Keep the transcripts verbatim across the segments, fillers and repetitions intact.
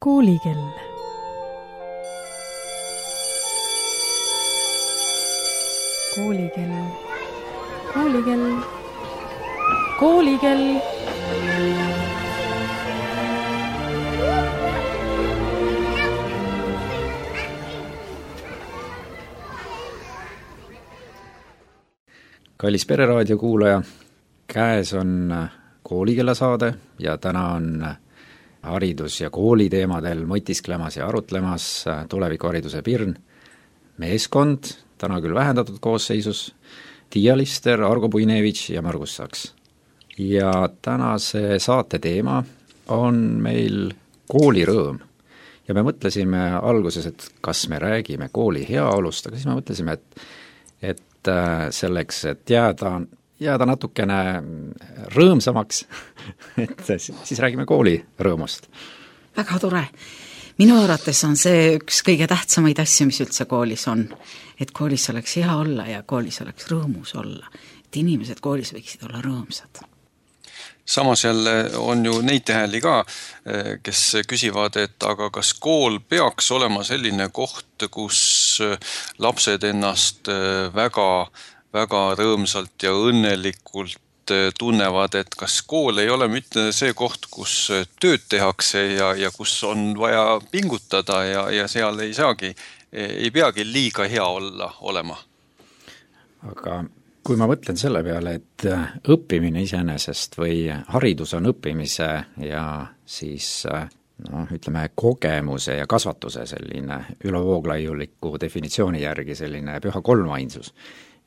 Koolikell. Koolikell. Koolikell. Koolikell. Kallis Pereraadio kuulaja, käes on koolikella saade ja täna on haridus- ja kooliteemadel mõtisklemas ja arutlemas tulevikuhariduse Pirn meeskond, täna küll vähendatud koosseisus, Tiia Lister, Argo Puinevitš ja Margus Saks. Ja tänase saate teema on meil koolirõõm. Ja me mõtlesime alguses, et kas me räägime kooli heaolust, aga siis me mõtlesime, et, et selleks, et jääda, jääda natukene rõõmsamaks, et siis räägime kooli rõõmust. Väga tore. Minu arvates on see üks kõige tähtsamaid asju, mis üldse koolis on. Et koolis oleks hea olla ja koolis oleks rõõmus olla. Et inimesed koolis võiksid olla rõõmsad. Samas jälle on ju neid täheli ka, kes küsivad, et aga kas kool peaks olema selline koht, kus lapsed ennast väga, väga rõõmsalt ja õnnelikult tunnevad, et kas kool ei ole mitte see koht, kus tööd tehakse ja, ja kus on vaja pingutada ja, ja seal ei saagi, ei peagi liiga hea olla olema. Aga kui ma mõtlen selle peale, et õppimine iseenesest või haridus on õppimise ja siis no, ütleme kogemuse ja kasvatuse selline ülevooglajuliku definitsiooni järgi selline püha kolmainsus.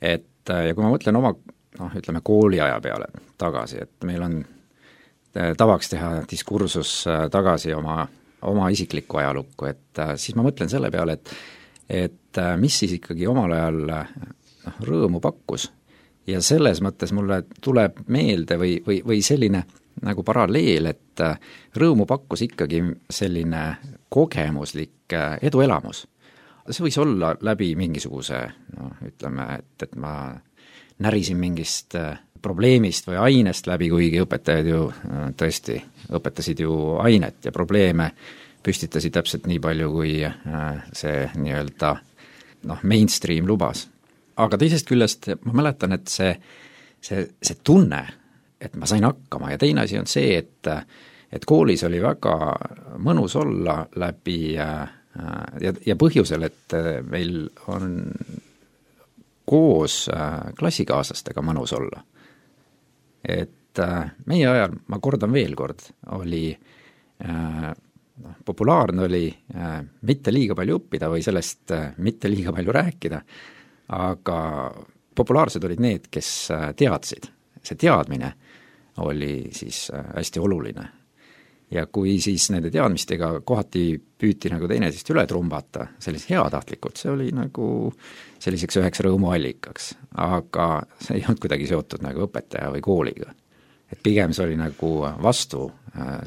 Et, ja kui ma mõtlen oma no, ütleme kooliaja peale tagasi, et meil on tavaks teha diskursus tagasi oma, oma isiklikku ajalukku, et siis ma mõtlen selle peale, et, et mis siis ikkagi omal ajal no, rõõmu pakkus. Ja selles mõttes mulle tuleb meelde või, või, või selline nagu paralleel, et rõõmu pakkus ikkagi selline kogemuslik eduelamus. See võis olla läbi mingisuguse, no, ütleme, et, et ma närisin mingist probleemist või ainest läbi, kuigi õpetajad ju tõesti õpetasid ju ainet ja probleeme püstitasid täpselt nii palju, kui see nii-öelda noh, mainstream lubas. Aga teisest küljest ma mäletan, et see, see, see tunne, et ma sain hakkama ja teine asi on see, et, et koolis oli väga mõnus olla läbi ja, ja põhjusel, et meil on koos klassikaaslastega mõnus olla. Et meie ajal, ma kordan veel kord, oli no, populaarne oli mitte liiga palju õppida või sellest mitte liiga palju rääkida, aga populaarsed olid need, kes teadsid. See teadmine oli siis hästi oluline. Ja kui siis nende teadmistega kohati püüti nagu teineteist üle trumbata, sellise heatahtlikult, see oli nagu selliseks üheks rõõmuallikaks. Aga see ei olnud kuidagi seotud nagu õpetaja või kooliga. Et pigem see oli nagu vastu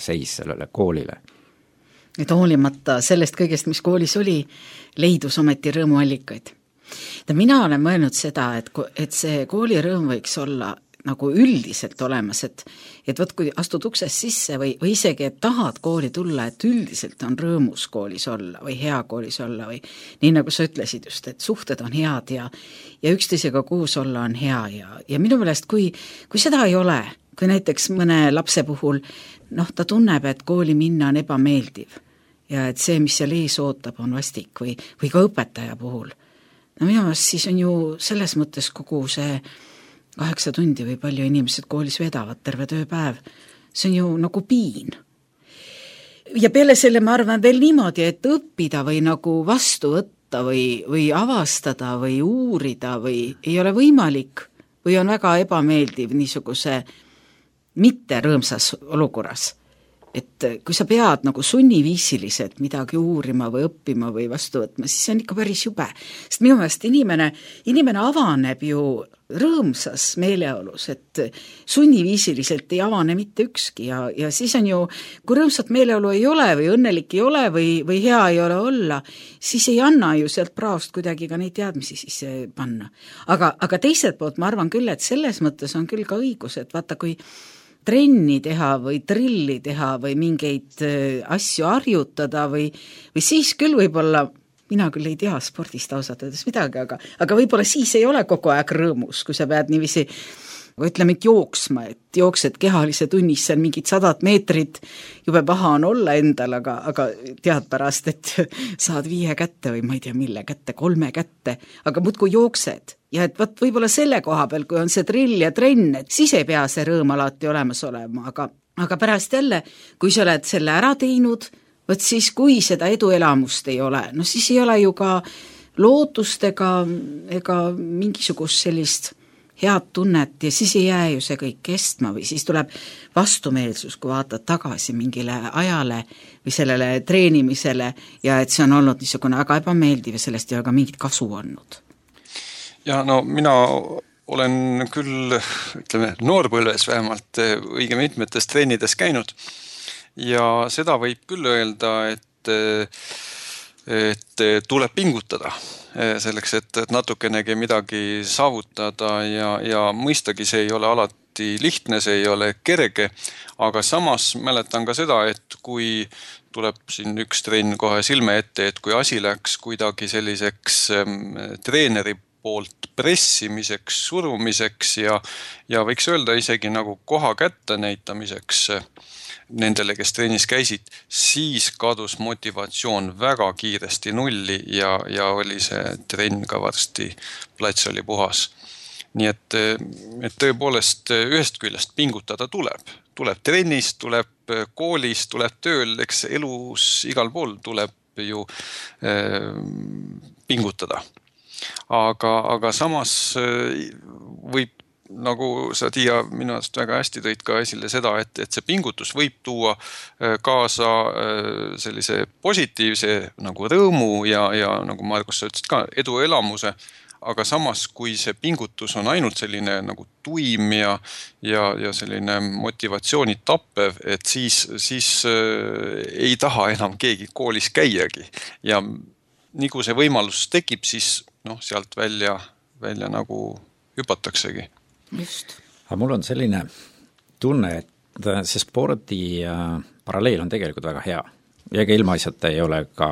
seis sellele koolile. Et hoolimata sellest kõigest, mis koolis oli, leidus ometi rõõmuallikaid. Ja mina olen mõelnud seda, et, et see koolirõõm võiks olla nagu üldiselt olemas, et, et võt, kui astud uksest sisse või, või isegi, et tahad kooli tulla, et üldiselt on rõõmus koolis olla või hea koolis olla või nii nagu sa ütlesid just, et suhted on head ja, ja üksteisega koos olla on hea ja, ja minu meelest, kui, kui seda ei ole, kui näiteks mõne lapse puhul, noh, ta tunneb, et kooli minna on ebameeldiv ja et see, mis seal ees ootab, on vastik või, või ka õpetaja puhul. No minu meelest siis on ju selles mõttes kogu see kaheksa tundi või palju inimesed koolis vedavad terve tööpäev. See on ju nagu piin. Ja peale selle ma arvan veel niimoodi, et õppida või nagu vastu võtta või, või avastada või uurida või ei ole võimalik või on väga ebameeldiv niisuguse mitte rõõmsas olukorras. Et kui sa pead nagu sunniviisiliselt midagi uurima või õppima või vastu võtma, siis see on ikka päris jube. Sest minu meelest inimene, inimene avaneb ju rõõmsas meeleolus, et sunniviisiliselt ei avane mitte ükski ja, ja siis on ju, kui rõõmsat meeleolu ei ole või õnnelik ei ole või, või hea ei ole olla, siis ei anna ju sealt praost kuidagi ka neid teadmisi sisse panna. Aga, aga teiselt poolt ma arvan küll, et selles mõttes on küll ka õigus, et vaata, kui trenni teha või trilli teha või mingeid asju harjutada või, või siis küll võib-olla, mina küll ei tea spordist ausalt öeldes midagi, aga, aga võib-olla siis ei ole kogu aeg rõõmus, kui sa pead niiviisi, ütleme, et jooksma, et jooksed kehalise tunnis seal mingid sadat meetrit, jube paha on olla endal, aga, aga tead pärast, et saad viie kätte või ma ei tea mille kätte, kolme kätte, aga muudkui jooksed. Ja et võt, võib-olla selle koha peal, kui on see drill ja trenn, et siis ei pea see rõõm alati olemas olema, aga, aga pärast jälle, kui sa oled selle ära teinud, võt siis kui seda eduelamust ei ole, no siis ei ole ju ka lootust ega, ega mingisugust sellist head tunnet ja siis ei jää ju see kõik kestma või siis tuleb vastumeelsus, kui vaatad tagasi mingile ajale või sellele treenimisele ja et see on olnud niisugune väga ebameeldiv ja sellest ei ole ka mingit kasu olnud. Ja no mina olen küll, ütleme, noorpõlves vähemalt õige mitmetes treenides käinud ja seda võib küll öelda, et, et tuleb pingutada selleks, et, et natukenegi midagi saavutada ja, ja mõistagi see ei ole alati lihtne, see ei ole kerge, aga samas mäletan ka seda, et kui tuleb siin üks trenn kohe silme ette, et kui asi läks kuidagi selliseks treeneri poolt pressimiseks, surumiseks ja, ja võiks öelda isegi nagu koha kätte näitamiseks nendele, kes trennis käisid, siis kadus motivatsioon väga kiiresti nulli ja, ja oli see trenn ka varsti, plats oli puhas. Nii et, et tõepoolest ühest küljest pingutada tuleb. Tuleb trennis, tuleb koolis, tuleb tööl, eks elus igal pool tuleb ju äh, pingutada. Aga, aga samas võib, nagu sa Tiia minu arust väga hästi tõid ka esile seda, et, et see pingutus võib tuua kaasa sellise positiivse nagu rõõmu ja, ja nagu Margus sa ütlesid ka, eduelamuse, aga samas kui see pingutus on ainult selline nagu tuim ja, ja, ja selline motivatsiooni tappev, et siis, siis ei taha enam keegi koolis käiagi ja nii kui see võimalus tekib, siis noh, sealt välja, välja nagu hüpataksegi. Just. Aga mul on selline tunne, et see spordi paralleel on tegelikult väga hea. Ja ka ilmaasjata ei ole ka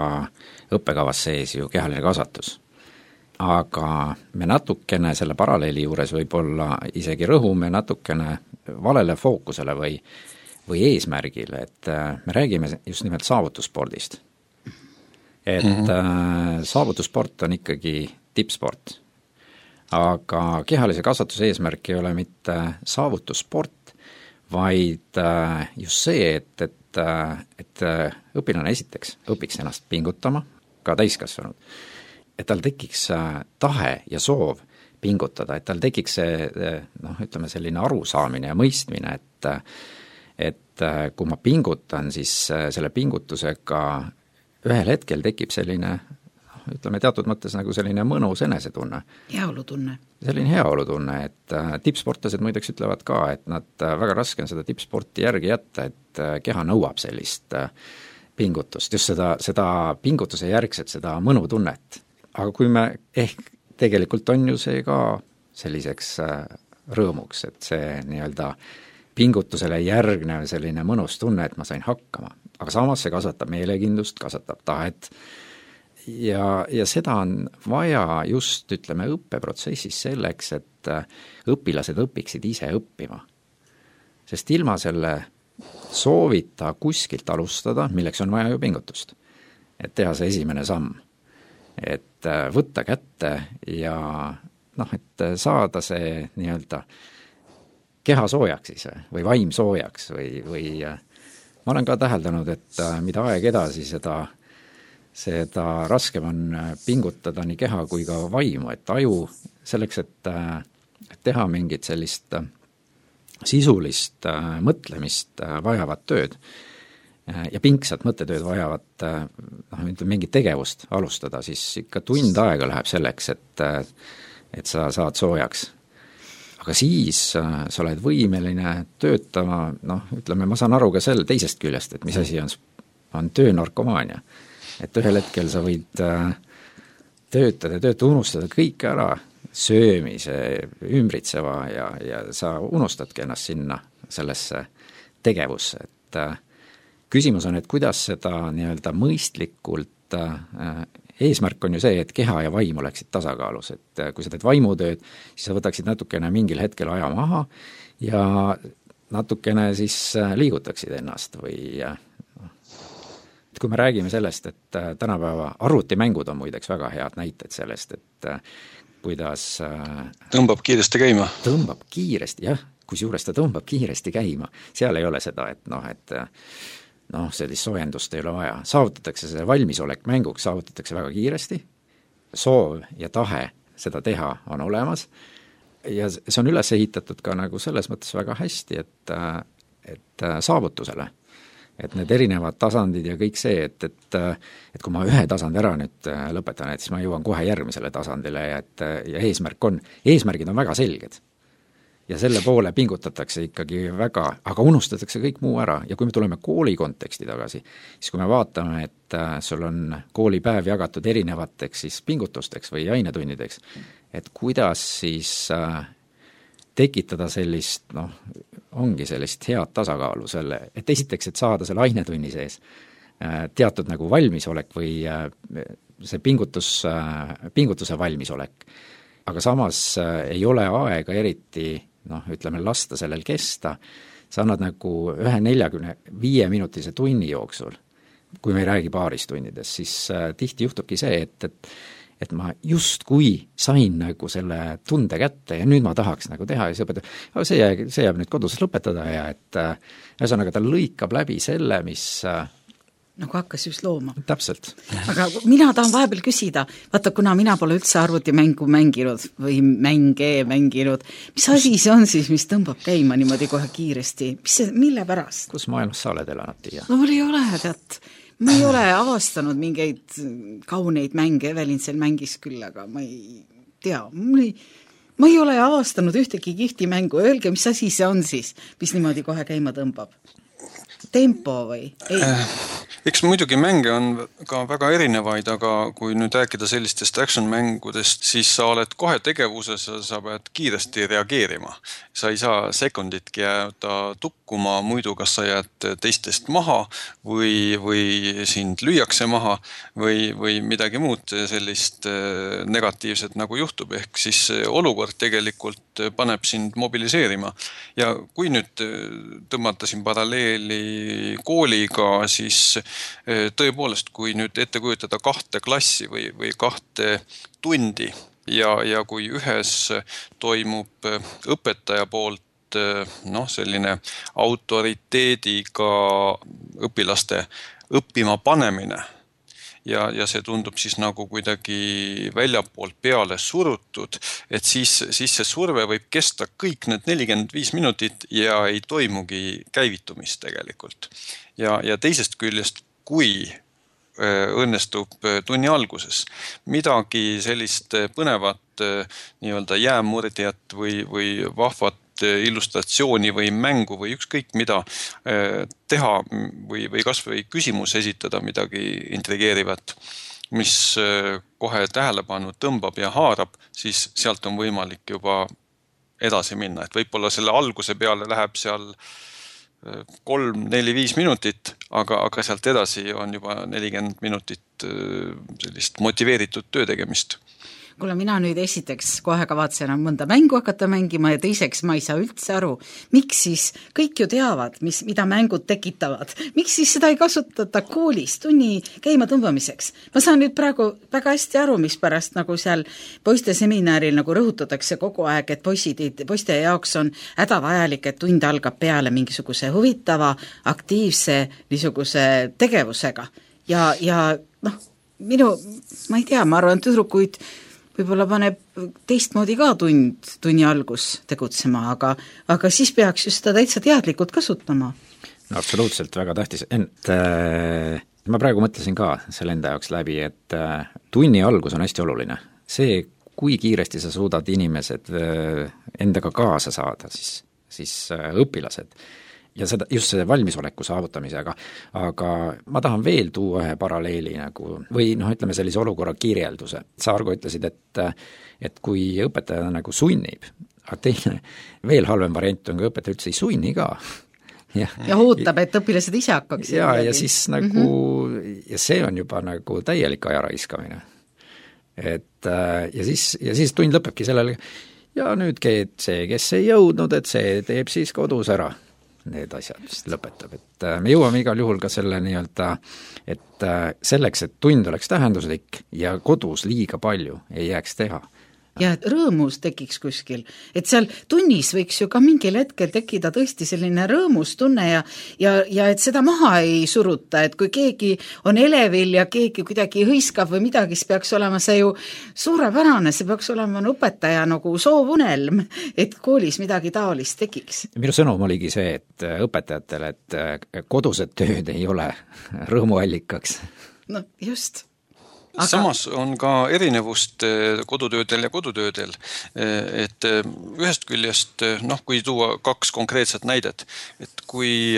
õppekavas sees ju kehaline kasvatus. Aga me natukene selle paralleeli juures võib-olla isegi rõhume natukene valele fookusele või, või eesmärgile, et me räägime just nimelt saavutusspordist. Et mm-hmm. saavutussport on ikkagi tippsport. Aga kehalise kasvatuse eesmärk ei ole mitte saavutussport, vaid just see, et, et, et õpilane esiteks õpiks ennast pingutama, ka täiskasvanud, et tal tekiks tahe ja soov pingutada, et tal tekiks see, noh, ütleme selline arusaamine ja mõistmine, et, et kui ma pingutan, siis selle pingutusega ühel hetkel tekib selline, ütleme teatud mõttes nagu selline mõnus enesetunne. Heaolutunne. Selline heaolutunne, et tippsportlased muideks ütlevad ka, et nad väga raske on seda tippsporti järgi jätta, et keha nõuab sellist pingutust, just seda, seda pingutuse järgset, seda mõnutunnet. Aga kui me ehk tegelikult on ju see ka selliseks rõõmuks, et see nii-öelda pingutusele järgnev selline mõnus tunne, et ma sain hakkama. Aga samas see kasvatab meelekindlust, kasvatab tahet ja, ja seda on vaja just, ütleme, õppeprotsessis selleks, et õpilased õpiksid ise õppima. Sest ilma selle soovita kuskilt alustada, milleks on vaja ju pingutust, et teha see esimene samm, et võtta kätte ja noh, et saada see nii-öelda keha soojaks siis või vaim soojaks või, või ma olen ka täheldanud, et mida aeg edasi, seda, seda raskem on pingutada nii keha kui ka vaimu, et aju selleks, et, et teha mingit sellist sisulist mõtlemist vajavat tööd ja pingsat mõttetööd vajavat noh, mingit tegevust alustada, siis ikka tund aega läheb selleks, et, et sa saad soojaks. Aga siis sa oled võimeline töötama, noh, ütleme, ma saan aru ka selle teisest küljest, et mis asi on, on töönarkomaania. Et ühel hetkel sa võid töötada, töötada, unustada kõik ära, söömise, ümbritseva ja, ja sa unustadki ennast sinna sellesse tegevusse, et küsimus on, et kuidas seda nii-öelda mõistlikult, eesmärk on ju see, et keha ja vaim oleksid tasakaalus, et kui sa teed vaimutööd, siis sa võtaksid natukene mingil hetkel aja maha ja natukene siis liigutaksid ennast või et kui me räägime sellest, et tänapäeva arvutimängud on muideks väga head näited sellest, et kuidas tõmbab kiiresti käima. Tõmbab kiiresti, jah, kusjuures ta tõmbab kiiresti käima. Seal ei ole seda, et noh, et noh, sellist soojendust ei ole vaja. Saavutatakse see valmisolek mänguks, saavutatakse väga kiiresti, soov ja tahe seda teha on olemas ja see on üles ehitatud ka nagu selles mõttes väga hästi, et, et saavutusele. Et need erinevad tasandid ja kõik see, et, et, et kui ma ühe tasandi ära nüüd lõpetan, et siis ma jõuan kohe järgmisele tasandile ja, et, ja eesmärk on, eesmärgid on väga selged. Ja selle poole pingutatakse ikkagi väga, aga unustatakse kõik muu ära ja kui me tuleme kooli konteksti tagasi, siis kui me vaatame, et sul on koolipäev jagatud erinevateks siis pingutusteks või ainetunnideks, et kuidas siis tekitada sellist, noh, ongi sellist head tasakaalu selle, et esiteks, et saada selle ainetunni sees teatud nagu valmisolek või see pingutus, pingutuse valmisolek. Aga samas ei ole aega eriti, noh, ütleme, lasta sellel kesta, sa annad nagu ühe neljakümne viie minutise tunni jooksul, kui me ei räägi paarist tunnides, siis tihti juhtubki see, et, et et ma just kui sain nagu selle tunde kätte ja nüüd ma tahaks nagu teha ja siis õpetab, see jääb, see jääb nüüd kodus lõpetada ja et ühesõnaga ta lõikab läbi selle, mis nagu hakkas just looma. Täpselt. Aga mina tahan vahepeal küsida, vaata, kuna mina pole üldse arvutimängu mänginud või mänge mänginud, mis asi see on siis, mis tõmbab käima niimoodi kohe kiiresti? Mis see, mille pärast? Kus maailmas sa oled elanud, Tiia? No mul ei ole, tead. Ma ei ole avastanud mingeid kauneid mänge, Evelin seal mängis küll, aga ma ei tea, ma ei, ma ei ole avastanud ühtegi kihti mängu, öelge, mis asi see on siis, mis niimoodi kohe käima tõmbab? Tempo või? Ei. Eks muidugi mänge on ka väga erinevaid, aga kui nüüd rääkida sellistest action-mängudest, siis sa oled kohe tegevuses, sa pead kiiresti reageerima. Sa ei saa sekunditki jääda tukkuma, muidu kas sa jääd teistest maha või, või sind lüüakse maha või, või midagi muud sellist negatiivset nagu juhtub. Ehk siis olukord tegelikult paneb sind mobiliseerima. Ja kui nüüd tõmmata siin paralleeli kooliga, siis tõepoolest, kui nüüd ette kujutada kahte klassi või, või kahte tundi ja, ja kui ühes toimub õpetaja poolt noh, selline autoriteediga õpilaste õppima panemine ja, ja see tundub siis nagu kuidagi väljapoolt peale surutud, et siis, siis see surve võib kesta kõik need nelikümmend viis minutit ja ei toimugi käivitumist tegelikult. Ja, ja teisest küljest, kui õnnestub tunni alguses midagi sellist põnevat nii-öelda jäämurdjat või, või vahvat illustratsiooni või mängu või ükskõik mida teha või, või kas või küsimus esitada midagi intrigeerivat, mis kohe tähelepanu tõmbab ja haarab, siis sealt on võimalik juba edasi minna. Et võib-olla selle alguse peale läheb seal kolm, neli, viis minutit, aga, aga sealt edasi on juba nelikümmend minutit sellist motiveeritud töö tegemist. Kuule, mina nüüd esiteks kohe kavatsen mõnda mängu hakata mängima ja teiseks ma ei saa üldse aru, miks siis kõik ju teavad, mis, mida mängud tekitavad. Miks siis seda ei kasutata koolis tunni käima tõmbamiseks? Ma saan nüüd praegu väga hästi aru, mis pärast nagu seal poiste seminaril nagu rõhutatakse kogu aeg, et poisid, poiste jaoks on hädavajalik, et tund algab peale mingisuguse huvitava, aktiivse niisuguse tegevusega. Ja, ja noh, minu, ma ei tea, ma arvan, tüdrukuid võib-olla paneb teistmoodi ka tund, tunni algus tegutsema, aga, aga siis peaks just seda täitsa teadlikult kasutama. No absoluutselt väga tähtis, ent äh, ma praegu mõtlesin ka selle enda jaoks läbi, et äh, tunni algus on hästi oluline. See, kui kiiresti sa suudad inimesed äh, endaga kaasa saada, siis, siis äh, õpilased ja seda, just see valmisoleku saavutamisega, aga ma tahan veel tuua ühe paralleeli nagu, või noh, ütleme sellise olukorra kirjelduse. Sa, Argo, ütlesid, et, et kui õpetaja nagu sunnib, aga teine, veel halvem variant on, kui õpetaja üldse ei sunni ka. ja, ja ootab, et õpilased ise hakkaks. ja, ja siis nagu mm-hmm. ja see on juba nagu täielik aja raiskamine. Et ja siis, ja siis tund lõpebki sellele, ja nüüd see, kes ei jõudnud, et see teeb siis kodus ära need asjad, mis lõpetab, et me jõuame igal juhul ka selle nii-öelda, et selleks, et tund oleks tähenduslik ja kodus liiga palju ei jääks teha. Ja rõõmus tekiks kuskil, et seal tunnis võiks ju ka mingil hetkel tekkida tõesti selline rõõmus tunne ja, ja, ja et seda maha ei suruta, et kui keegi on elevil ja keegi kuidagi hõiskab või midagi, siis peaks olema see ju suurepärane, see peaks olema õpetaja nagu soovunelm, et koolis midagi taolist tekiks. Minu sõnum oligi see, et õpetajatele, et kodused tööd ei ole rõõmuallikaks. No just. Aga... Samas on ka erinevust kodutöödel ja kodutöödel, et ühest küljest, noh, kui tuua kaks konkreetset näidet, et kui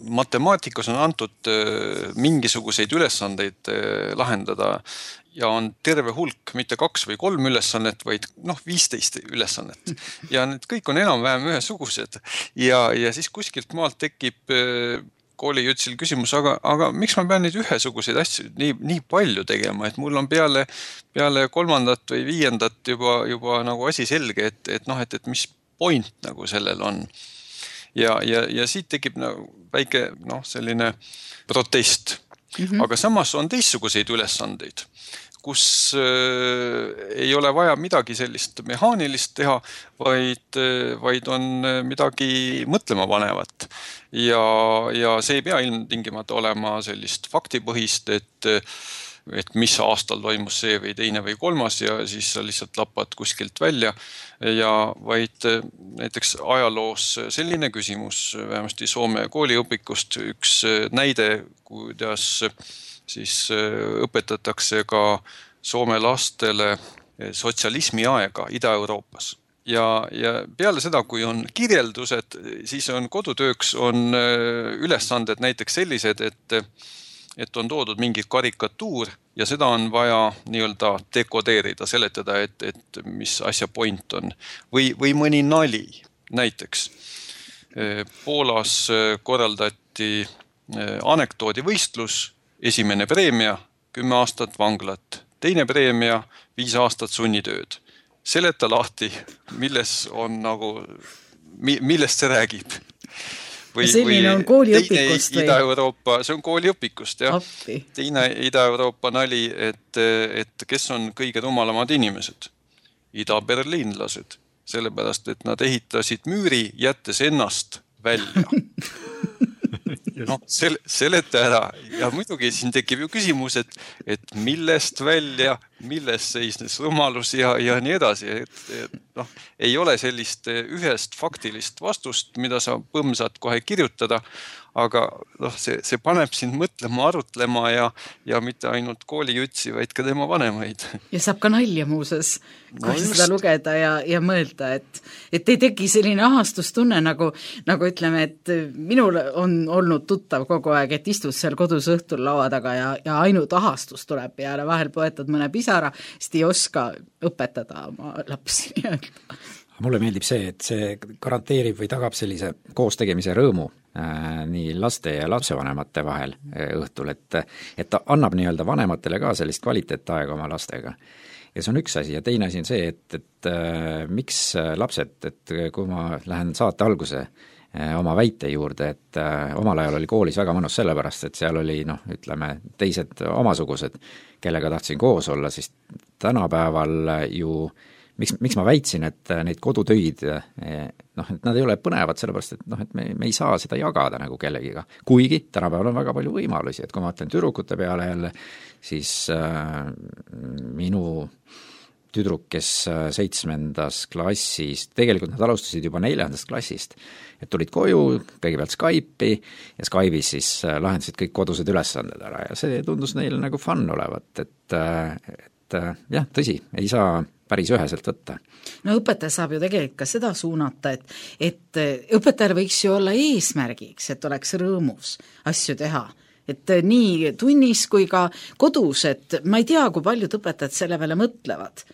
matemaatikas on antud mingisuguseid ülesandeid lahendada ja on terve hulk, mitte kaks või kolm ülesannet, vaid noh, viisteist ülesannet. Ja need kõik on enam-vähem ühesugused ja, ja siis kuskilt maalt tekib koolijutsil küsimus, aga, aga miks ma pean neid ühesuguseid asju nii, nii palju tegema, et mul on peale, peale kolmandat või viiendat juba, juba nagu asi selge, et, et noh, et, et mis point nagu sellel on. Ja, ja, ja siit tekib nagu väike noh, selline protest. Mm-hmm. Aga samas on teistsuguseid ülesandeid, kus äh, ei ole vaja midagi sellist mehaanilist teha, vaid, vaid on midagi mõtlema panevat. Ja, ja see ei pea ilmtingimata olema sellist faktipõhist, et, et mis aastal toimus see või teine või kolmas ja siis sa lihtsalt lapad kuskilt välja. Ja vaid näiteks ajaloos selline küsimus, vähemasti Soome kooliõpikust, üks näide, kuidas siis õpetatakse ka Soome lastele sotsialismi aega Ida-Euroopas. Ja, ja peale seda, kui on kirjeldused, siis on kodutööks on ülesanded näiteks sellised, et, et on toodud mingi karikatuur ja seda on vaja nii-öelda dekodeerida, seletada, et, et mis asja point on. Või, või mõni nali näiteks. Poolas korraldati anekdoodivõistlus, esimene preemia, kümme aastat vanglat, teine preemia, viis aastat sunnitööd. Seleta lahti, milles on nagu, millest see räägib. Või, selline on kooliõpikust või? Ida-Euroopa, see on kooliõpikust, jah. Appi. Teine Ida-Euroopa nali, et, et kes on kõige rumalamad inimesed? Ida-berliinlased. Sellepärast, et nad ehitasid müüri, jättes ennast välja. No, sel, seleta ära ja muidugi siin tekib ju küsimus, et, et millest välja, millest seisnes rumalus ja, ja nii edasi. Et, et, noh, ei ole sellist ühest faktilist vastust, mida sa põmsad kohe kirjutada, aga noh, see, see paneb sind mõtlema, arutlema ja, ja mitte ainult koolijutsi, vaid ka tema vanemaid. Ja saab ka nalja muuses, kui no seda lugeda ja, ja mõelda, et, et ei teki selline ahastustunne, nagu, nagu ütleme, et minul on olnud tuttav kogu aeg, et istud seal kodus õhtul laua taga ja, ja ainult ahastus tuleb peale, vahel poetad mõne pisara, sest ei oska õpetada oma lapsi. Mulle meeldib see, et see garanteerib või tagab sellise koostegemise rõõmu äh, nii laste ja lapsevanemate vahel äh, õhtul, et, et ta annab nii-öelda vanematele ka sellist kvaliteetaega oma lastega. Ja see on üks asi ja teine asi on see, et, et äh, miks lapsed, et kui ma lähen saate alguse äh, oma väite juurde, et äh, omal ajal oli koolis väga mõnus sellepärast, et seal oli noh, ütleme teised omasugused, kellega tahtsin koos olla, siis tänapäeval ju Miks, miks ma väitsin, et neid kodutöid, noh, et nad ei ole põnevad sellepärast, et noh, et me, me ei saa seda jagada nagu kellegiga. Kuigi tänapäeval on väga palju võimalusi, et kui ma ütlen tüdrukute peale jälle, siis äh, minu tüdruk, kes seitsmendas klassis, tegelikult nad alustasid juba neljandast klassist, et tulid koju, kõigepealt Skype'i ja Skype'is siis lahendasid kõik kodused ülesanded ära ja see tundus neile nagu fun olevat, et, et jah, tõsi, ei saa päris üheselt võtta. No õpetaja saab ju tegelikult ka seda suunata, et, et õpetajal võiks ju olla eesmärgiks, et oleks rõõmus asju teha. Et nii tunnis kui ka kodus, et ma ei tea, kui paljud õpetajad selle peale mõtlevad.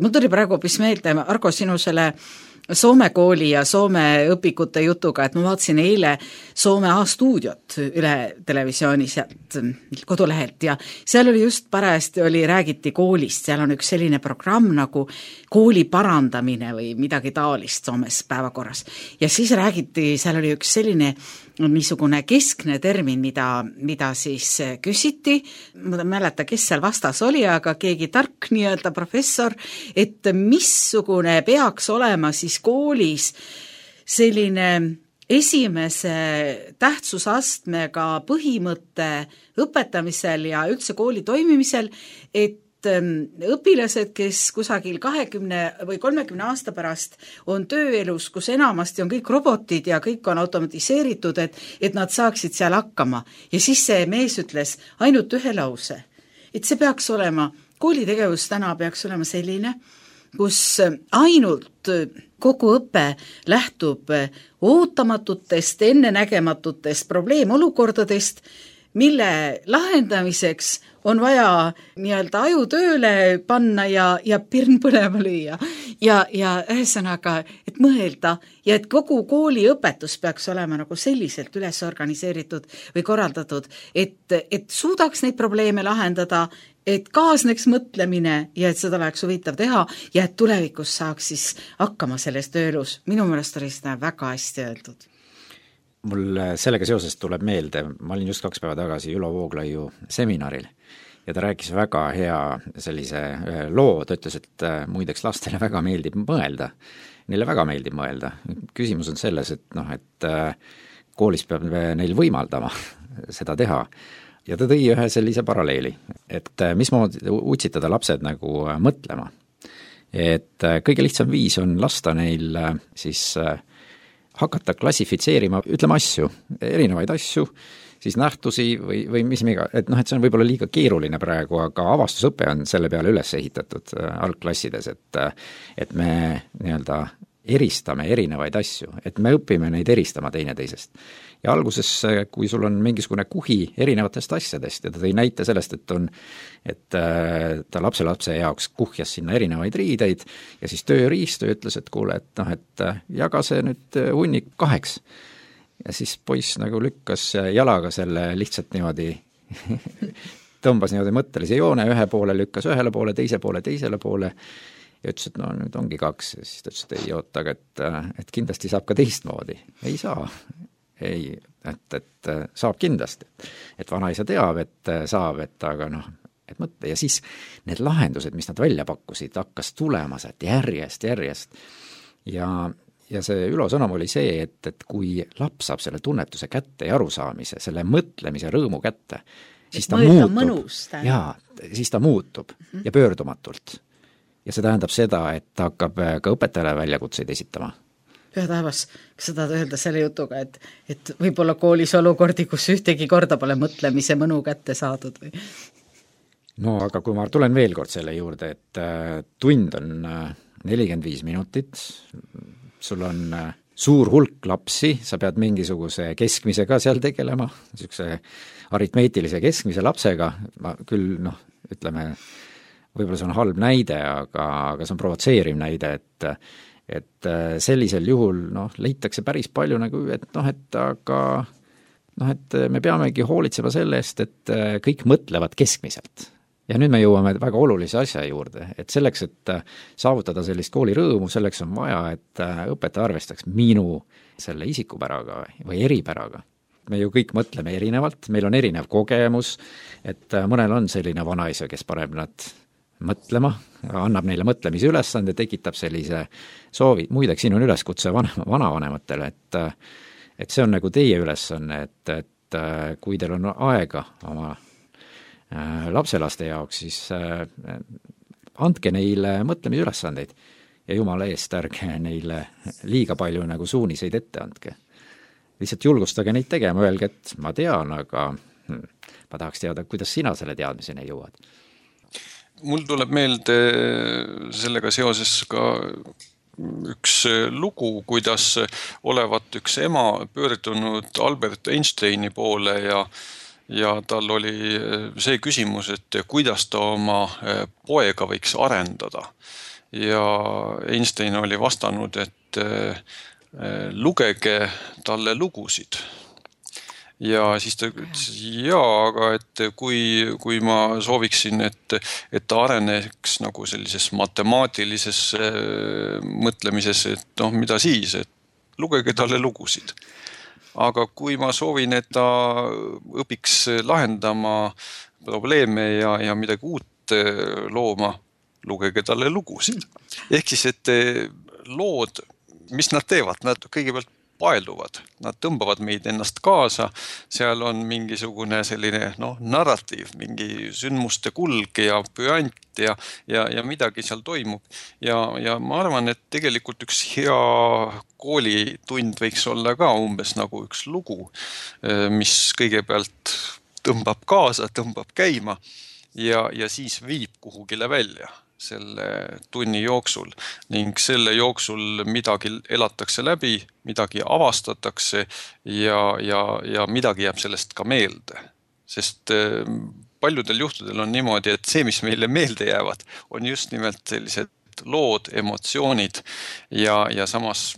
mul tuli praegu hoopis meelde, Argo, sinu selle Soome kooli ja Soome õpikute jutuga, et ma vaatasin eile Soome A-stuudiot üle televisiooni sealt kodulehelt ja seal oli just parajasti oli, räägiti koolist, seal on üks selline programm nagu kooli parandamine või midagi taolist Soomes päevakorras. Ja siis räägiti, seal oli üks selline niisugune keskne termin, mida, mida siis küsiti, ma ei mäleta, kes seal vastas oli, aga keegi tark nii-öelda professor, et missugune peaks olema siis koolis selline esimese tähtsusastmega põhimõtte õpetamisel ja üldse kooli toimimisel, et õpilased, kes kusagil kahekümne või kolmekümne aasta pärast on tööelus, kus enamasti on kõik robotid ja kõik on automatiseeritud, et, et nad saaksid seal hakkama. Ja siis see mees ütles ainult ühe lause, et see peaks olema, koolitegevus täna peaks olema selline, kus ainult kogu õpe lähtub ootamatutest, ennenägematutest probleemolukordadest, mille lahendamiseks on vaja nii-öelda aju tööle panna ja, ja pirn põlema lüüa. Ja, ja ühesõnaga, et mõelda ja et kogu kooli õpetus peaks olema nagu selliselt üles organiseeritud või korraldatud, et, et suudaks neid probleeme lahendada, et kaasneks mõtlemine ja et seda oleks huvitav teha ja et tulevikus saaks siis hakkama selles tööelus. Minu meelest oli seda väga hästi öeldud. Mul sellega seoses tuleb meelde, ma olin just kaks päeva tagasi Ülo Vooglaiu seminaril ja ta rääkis väga hea sellise loo, ta ütles, et muideks lastele väga meeldib mõelda, neile väga meeldib mõelda. Küsimus on selles, et, noh, et koolis peab neil võimaldama seda teha ja ta tõi ühe sellise paralleeli, et mismoodi utsitada lapsed nagu mõtlema. Et kõige lihtsam viis on lasta neil siis hakata klassifitseerima, ütleme asju, erinevaid asju, siis nähtusi või, või mis miga, et noh, et see on võib-olla liiga keeruline praegu, aga avastusõpe on selle peale üles ehitatud algklassides, et, et me nii-öelda eristame erinevaid asju, et me õpime neid eristama teineteisest. Ja alguses, kui sul on mingisugune kuhi erinevatest asjadest ja ta tõi näite sellest, et on, et ta lapselapse jaoks kuhjas sinna erinevaid riideid ja siis tööriistu ütles, et kuule, et noh, et jaga see nüüd hunnik kaheks. Ja siis poiss nagu lükkas jalaga selle lihtsalt niimoodi tõmbas niimoodi mõttelise joone, ühe poole lükkas ühele poole, teise poole, teisele poole ja ütles, et no nüüd ongi kaks ja siis ta ütles, et ei oota, et, et kindlasti saab ka teistmoodi. Ei saa. Ei, et, et saab kindlasti. Et vanaisa teab, et saab, et aga noh, et mõtle. Ja siis need lahendused, mis nad välja pakkusid, hakkas tulema sealt järjest, järjest. Ja, ja see Ülo sõnum oli see, et, et kui laps saab selle tunnetuse kätte ja arusaamise, selle mõtlemise rõõmu kätte, siis ta muutub. Mõnus, jaa, siis ta muutub mm-hmm. ja pöördumatult. Ja see tähendab seda, et ta hakkab ka õpetajale väljakutseid esitama. Püha taevas, kas sa tahad öelda selle jutuga, et, et võib-olla koolis olukordi, kus ühtegi korda pole mõtlemise mõnu kätte saadud või? No aga kui ma tulen veel kord selle juurde, et tund on nelikümmend viis minutit, sul on suur hulk lapsi, sa pead mingisuguse keskmisega seal tegelema, niisuguse aritmeetilise keskmise lapsega, ma küll noh, ütleme, võib-olla see on halb näide, aga, aga see on provotseeriv näide, et et sellisel juhul noh, leitakse päris palju nagu, et noh, et aga noh, et me peamegi hoolitsema selle eest, et kõik mõtlevad keskmiselt. Ja nüüd me jõuame väga olulise asja juurde, et selleks, et saavutada sellist kooli rõõmu, selleks on vaja, et õpetaja arvestaks minu selle isikupäraga või eripäraga. Me ju kõik mõtleme erinevalt, meil on erinev kogemus, et mõnel on selline vanaisa, kes paneb nad mõtlema, annab neile mõtlemise ülesande, tekitab sellise soovi. Muideks, siin on üleskutse vanem, vanavanematele, et, et see on nagu teie ülesanne, et, et kui teil on aega oma lapselaste jaoks, siis andke neile mõtlemise ülesandeid ja jumala eest ärge neile liiga palju nagu suuniseid ette andke. Lihtsalt julgustage neid tegema, öelge, et ma tean, aga hm, ma tahaks teada, kuidas sina selle teadmiseni jõuad. Mul tuleb meelde sellega seoses ka üks lugu, kuidas olevat üks ema pöördunud Albert Einsteini poole ja ja tal oli see küsimus, et kuidas ta oma poega võiks arendada. Ja Einstein oli vastanud, et lugege talle lugusid. Ja siis ta ütles, jaa, aga et kui, kui ma sooviksin, et, et ta areneks nagu sellises matemaatilises mõtlemises, et noh, mida siis, et lugege talle lugusid. Aga kui ma soovin, et ta õpiks lahendama probleeme ja, ja midagi uut looma, lugege talle lugusid. Ehk siis, et lood, mis nad teevad, nad kõigepealt paeluvad, nad tõmbavad meid ennast kaasa, seal on mingisugune selline no, narratiiv, mingi sündmuste kulg ja püant ja, ja, ja midagi seal toimub. Ja, ja ma arvan, et tegelikult üks hea koolitund võiks olla ka umbes nagu üks lugu, mis kõigepealt tõmbab kaasa, tõmbab käima ja, ja siis viib kuhugile välja selle tunni jooksul ning selle jooksul midagi elatakse läbi, midagi avastatakse ja, ja, ja midagi jääb sellest ka meelde. Sest paljudel juhtudel on niimoodi, et see, mis meile meelde jäävad, on just nimelt sellised lood, emotsioonid ja, ja samas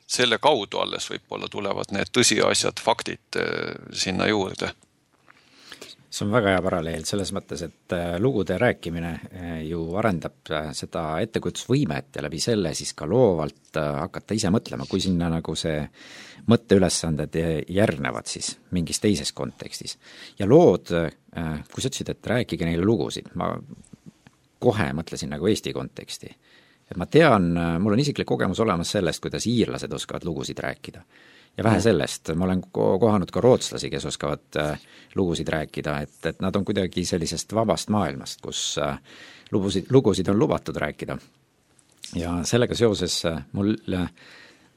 selle kaudu alles võib-olla tulevad need tõsiasjad, faktid sinna juurde. See on väga hea paralleel selles mõttes, et lugude rääkimine ju arendab seda ettekujutusvõimet ja läbi selle siis ka loovalt hakata ise mõtlema, kui sinna nagu see mõtteülesanded järgnevad siis mingis teises kontekstis. Ja lood, kui sa ütlesid, et rääkige neile lugusid, ma kohe mõtlesin nagu Eesti konteksti. Et ma tean, mul on isiklik kogemus olemas sellest, kuidas iirlased oskavad lugusid rääkida. Ja vähe sellest, ma olen kohanud ka rootslasi, kes oskavad lugusid rääkida, et, et nad on kuidagi sellisest vabast maailmast, kus lugusid, lugusid on lubatud rääkida. Ja sellega seoses mul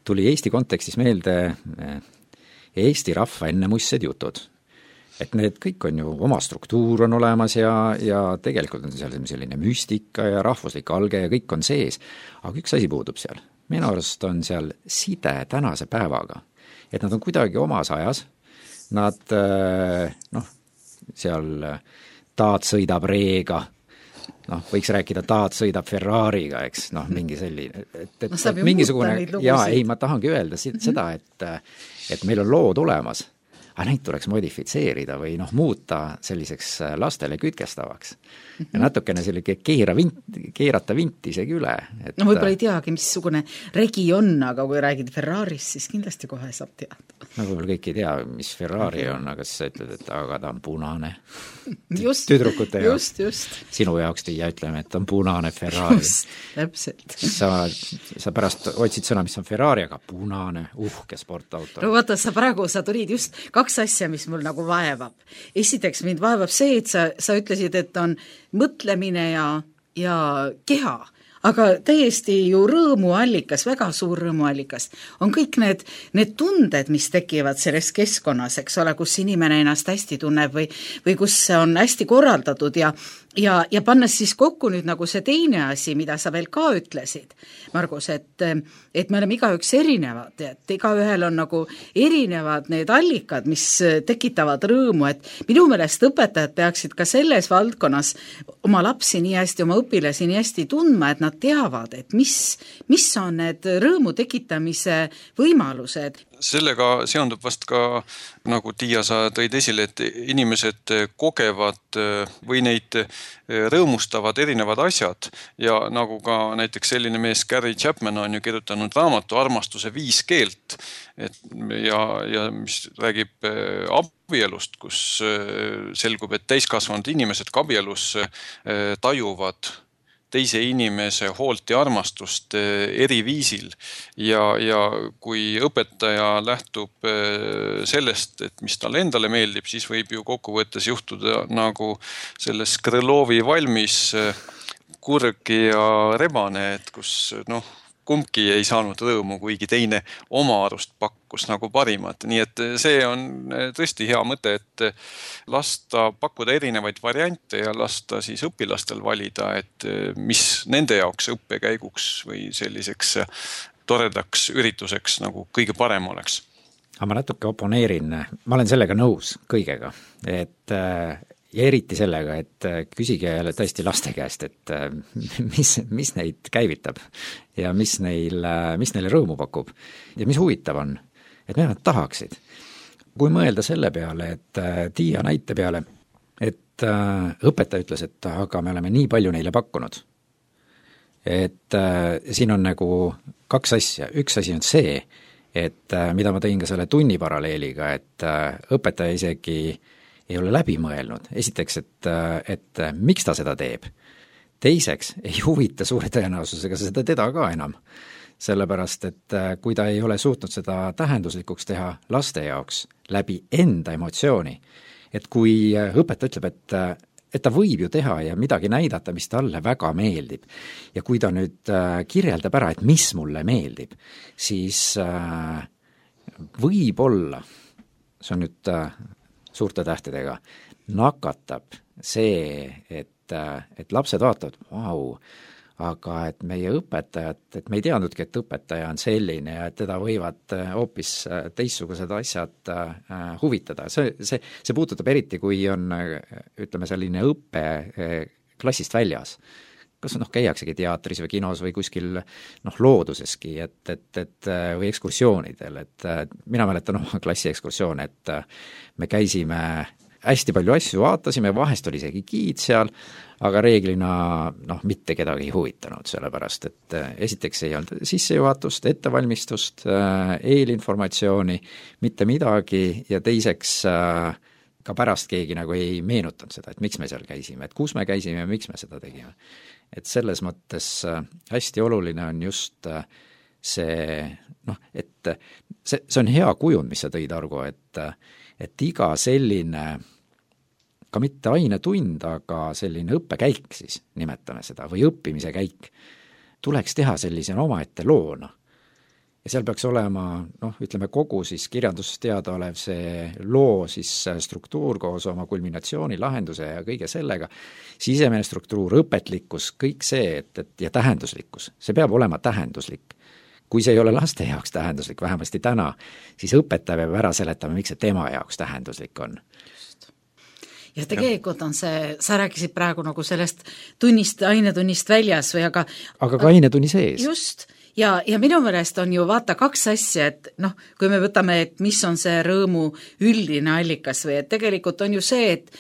tuli Eesti kontekstis meelde Eesti rahva ennemuissed jutud. Et need kõik on ju, oma struktuur on olemas ja, ja tegelikult on seal selline müstika ja rahvuslik alge ja kõik on sees. Aga üks asi puudub seal. Minu arust on seal side tänase päevaga. Et nad on kuidagi omas ajas, nad, noh, seal taat sõidab reega, noh, võiks rääkida taat sõidab Ferrariga, eks, noh, mingi selline, et, et, no, et mingisugune, jaa, ei, ma tahangi öelda seda, et, et meil on lood olemas, aga neid tuleks modifitseerida või noh, muuta selliseks lastele kütkestavaks. Ja natukene selline keera vint, keerata vinti isegi üle. Et no võib-olla ei teagi, missugune regi on, aga kui räägid Ferrarist, siis kindlasti kohe saab teada. No võib-olla kõik ei tea, mis Ferrari on, aga siis sa ütled, et aga ta on punane. Just, tüdrukute jaoks. Just, just. Sinu jaoks Tiia ütleme, et on punane Ferrari. Just, täpselt. Sa, sa pärast otsid sõna, mis on Ferrari, aga punane, uhke sportauto. No vaata, sa praegu, sa tulid just kaks asja, mis mul nagu vaevab. Esiteks mind vaevab see, et sa, sa ütlesid, et on mõtlemine ja, ja keha, aga täiesti ju rõõmuallikas, väga suur rõõmuallikas on kõik need, need tunded, mis tekivad selles keskkonnas, eks ole, kus inimene ennast hästi tunneb või, või kus see on hästi korraldatud ja, ja, ja pannes siis kokku nüüd nagu see teine asi, mida sa veel ka ütlesid, Margus, et, et me oleme igaüks erinevad, et igaühel on nagu erinevad need allikad, mis tekitavad rõõmu, et minu meelest õpetajad peaksid ka selles valdkonnas oma lapsi nii hästi, oma õpilasi nii hästi tundma, et nad teavad, et mis, mis on need rõõmu tekitamise võimalused. Sellega seondub vast ka, nagu Tiia sa tõid esile, et inimesed kogevad või neid rõõmustavad erinevad asjad ja nagu ka näiteks selline mees Gary Chapman on ju kirjutanud raamatu Armastuse viis keelt et, ja, ja mis räägib abielust, kus selgub, et täiskasvanud inimesed ka abielus tajuvad teise inimese hoolt ja armastust eri viisil ja, ja kui õpetaja lähtub sellest, et mis talle endale meeldib, siis võib ju kokkuvõttes juhtuda nagu selles Krõlovi valmis kurg ja rebane, et kus noh, kumbki ei saanud rõõmu, kuigi teine oma arust pakkus nagu parimat. Nii et see on tõesti hea mõte, et lasta pakkuda erinevaid variante ja lasta siis õpilastel valida, et mis nende jaoks õppekäiguks või selliseks toredaks ürituseks nagu kõige parem oleks. Aga ma natuke oponeerin, ma olen sellega nõus kõigega, et ja eriti sellega, et küsige jälle tõesti laste käest, et mis, mis neid käivitab ja mis, neil, mis neile rõõmu pakub ja mis huvitav on, et mida nad tahaksid. Kui mõelda selle peale, et Tiia näite peale, et õpetaja ütles, et aga me oleme nii palju neile pakkunud, et siin on nagu kaks asja, üks asi on see, et mida ma tõin ka selle tunni paralleeliga, et õpetaja isegi ei ole läbi mõelnud. Esiteks, et, et miks ta seda teeb. Teiseks, ei huvita suure tõenäosusega seda teda ka enam. Sellepärast, et kui ta ei ole suutnud seda tähenduslikuks teha laste jaoks läbi enda emotsiooni, et kui õpetaja ütleb, et, et ta võib ju teha ja midagi näidata, mis talle väga meeldib, ja kui ta nüüd kirjeldab ära, et mis mulle meeldib, siis võib-olla, see on nüüd suurte tähtedega, nakatab see, et, et lapsed vaatavad, vau, aga et meie õpetajad, et me ei teadnudki, et õpetaja on selline ja et teda võivad hoopis teistsugused asjad huvitada. See, see, see puudutab eriti, kui on, ütleme, selline õppe klassist väljas. Kas noh, käiaksegi teatris või kinos või kuskil noh, looduseski, et, et, et, või ekskursioonidel, et mina mäletan oma klassi ekskursioone, et me käisime hästi palju asju, vaatasime, vahest oli isegi giid seal, aga reeglina noh, mitte kedagi ei huvitanud, sellepärast, et esiteks ei olnud sissejuhatust, ettevalmistust, eelinformatsiooni, mitte midagi ja teiseks ka pärast keegi nagu ei meenutanud seda, et miks me seal käisime, et kus me käisime ja miks me seda tegime. Et selles mõttes hästi oluline on just see, noh, et see, see on hea kujund, mis sa tõid, Argo, et, et iga selline, ka mitte ainetund, aga selline õppekäik siis, nimetame seda, või õppimise käik, tuleks teha sellise omaette loona. Ja seal peaks olema, noh, ütleme kogu siis kirjandusest teada olev see loo siis struktuur koos oma kulminatsiooni, lahenduse ja kõige sellega, sisemine struktuur, õpetlikkus, kõik see, et, et ja tähenduslikkus, see peab olema tähenduslik. Kui see ei ole laste jaoks tähenduslik, vähemasti täna, siis õpetaja peab ära seletama, miks see tema jaoks tähenduslik on. Just. Ja tegelikult on see, sa rääkisid praegu nagu sellest tunnist, ainetunnist väljas või aga aga ka ainetunni sees. Just. Ja, ja minu meelest on ju vaata kaks asja, et noh, kui me võtame, et mis on see rõõmu üldine allikas või et tegelikult on ju see, et,